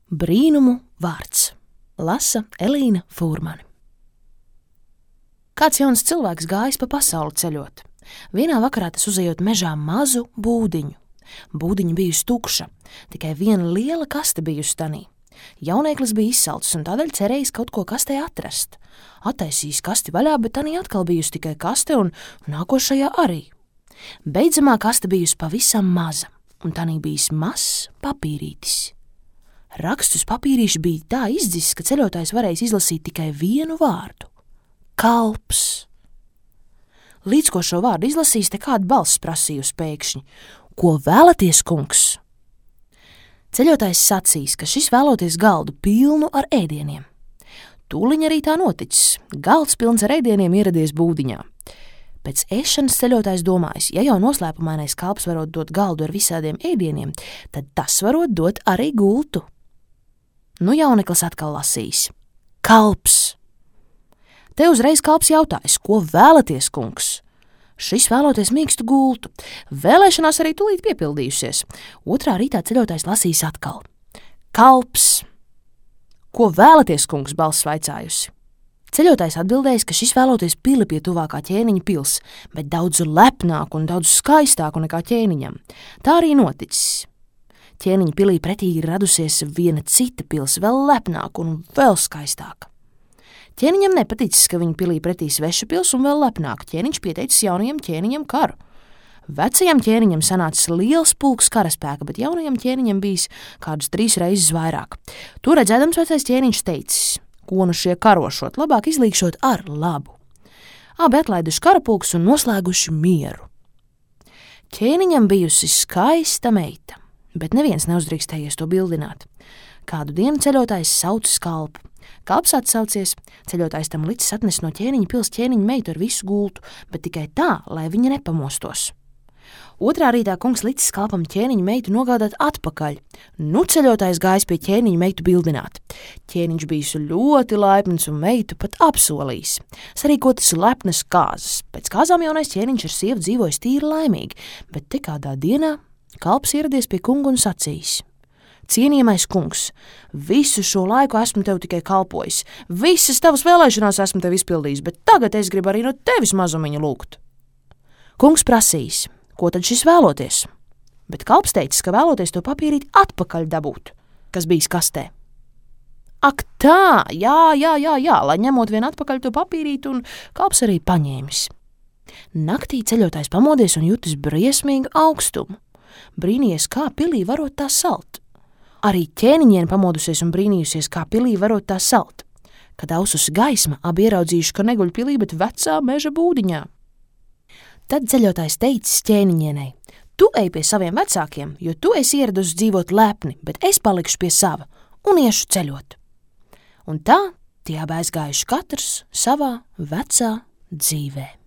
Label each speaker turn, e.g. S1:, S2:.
S1: Brīnumu vārds. Lasa Elīna Fūrmane. Kāds jauns cilvēks gājis pa pasauli ceļot. Vienā vakarā tas uzejot mežā mazu būdiņu. Būdiņa bijusi tukša, tikai viena liela kaste bijusi tanī. Jaunieklis bija izsalcis un tādēļ cerējis kaut ko kastē atrast. Attaisījis kasti vaļā, bet tanī atkal bijusi tikai kaste un nākošajā arī. Beidzamā kaste bijusi pavisam maza, un tanī bijis mazs papīrītis. Raksts uz papīrīša bija tā izdzis, ka ceļotājs varējis izlasīt tikai vienu vārdu – kalps. Līdz ko šo vārdu izlasīs, te kāda balss prasījusi pēkšņi – ko vēlaties, kungs? Ceļotājs sacīs, ka šis vēloties galdu pilnu ar ēdieniem. Tūliņ arī tā noticis. Galds pilns ar ēdieniem ieradies būdiņā. Pēc ēšanas ceļotājs domājis, ja jau noslēpumainais kalps varot dot galdu ar visādiem ēdieniem, tad tas varot dot arī gultu. Nu jauneklis atkal lasīs. Kalps. Te uzreiz kalps jautājis, ko vēlaties, kungs? Šis vēloties mīkstu gultu. Vēlēšanās arī tūlīt piepildījusies. Otrā rītā ceļotājs lasīs atkal. Kalps. Ko vēlaties, kungs, balss vaicājusi? Ceļotājs atbildējis, ka šis vēloties pili pie tuvākā ķēniņa pils, bet daudz lepnāku un daudz skaistāku nekā ķēniņam. Tā arī noticis. Ķēniņa pilī pretī ir radusies viena cita pils, vēl lepnāka un vēl skaistāka. Ķēniņam nepaticis, ka viņa pilī pretī sveša pils un vēl lepnāka. Ķēniņš pieteicis jaunajam ķēniņam karu. Vecajam ķēniņam sanācis liels pulks karaspēka, bet jaunajam ķēniņam bijis kādus 3 reizes vairāk. To redzēdams vecais ķēniņš teicis, ko nu šie karošot, labāk izlīkšot ar labu. Abi atlaiduši karapulkus un noslēguši mieru. Ķēniņam bijusi skaista meita, bet neviens neuzdrīkstējies to bildināt. Kādu dienu ceļotājs saucis kalpu. Kalps atsaucies, ceļotājs tam licis atnes no ķēniņa pils ķēniņa meitu ar visu gultu, bet tikai tā, lai viņa nepamostos. Otrā rītā kungs licis kalpam ķēniņa meitu nogādāt atpakaļ. Nu ceļotājs gājis pie ķēniņa meitu bildināt. Ķēniņš bijis ļoti laipns un meitu pat apsolījis. Sarīkotas lepnas kāzas. Pēc kāzām jaunais ķēniņš ar sievu dzīvojis tīri laimīgi, bet te kādā dienā kalps ieradies pie kunga un sacījis. Cienījamais kungs, visu šo laiku esmu tev tikai kalpojis. Visas tavas vēlēšanās esmu tev izpildījis, bet tagad es gribu arī no tevis mazumiņu lūgt. Kungs prasīs. Ko tad šis vēloties? Bet kalps teicis, ka vēloties to papīrīt atpakaļ dabūt, kas bijis kastē. Ak tā, jā, lai ņemot vien atpakaļ to papīrīt, un kalps arī paņēmis. Naktī ceļotājs pamodies un jutis briesmīgu augstumu. Brīnījies, kā pilī varot tā salt. Arī ķēniņiene pamodusies un brīnījusies, kā pilī varot tā salt. Kad aususi gaisma, abi ieraudzījuši, ka neguļ pilī, bet vecā meža būdiņā. Tad ceļotājs teicis ķēniņienei, tu ej pie saviem vecākiem, jo tu esi ieradusi dzīvot lepni, bet es palikšu pie sava un iešu ceļot. Un tā tie abi aizgājuši katrs savā vecā dzīvē.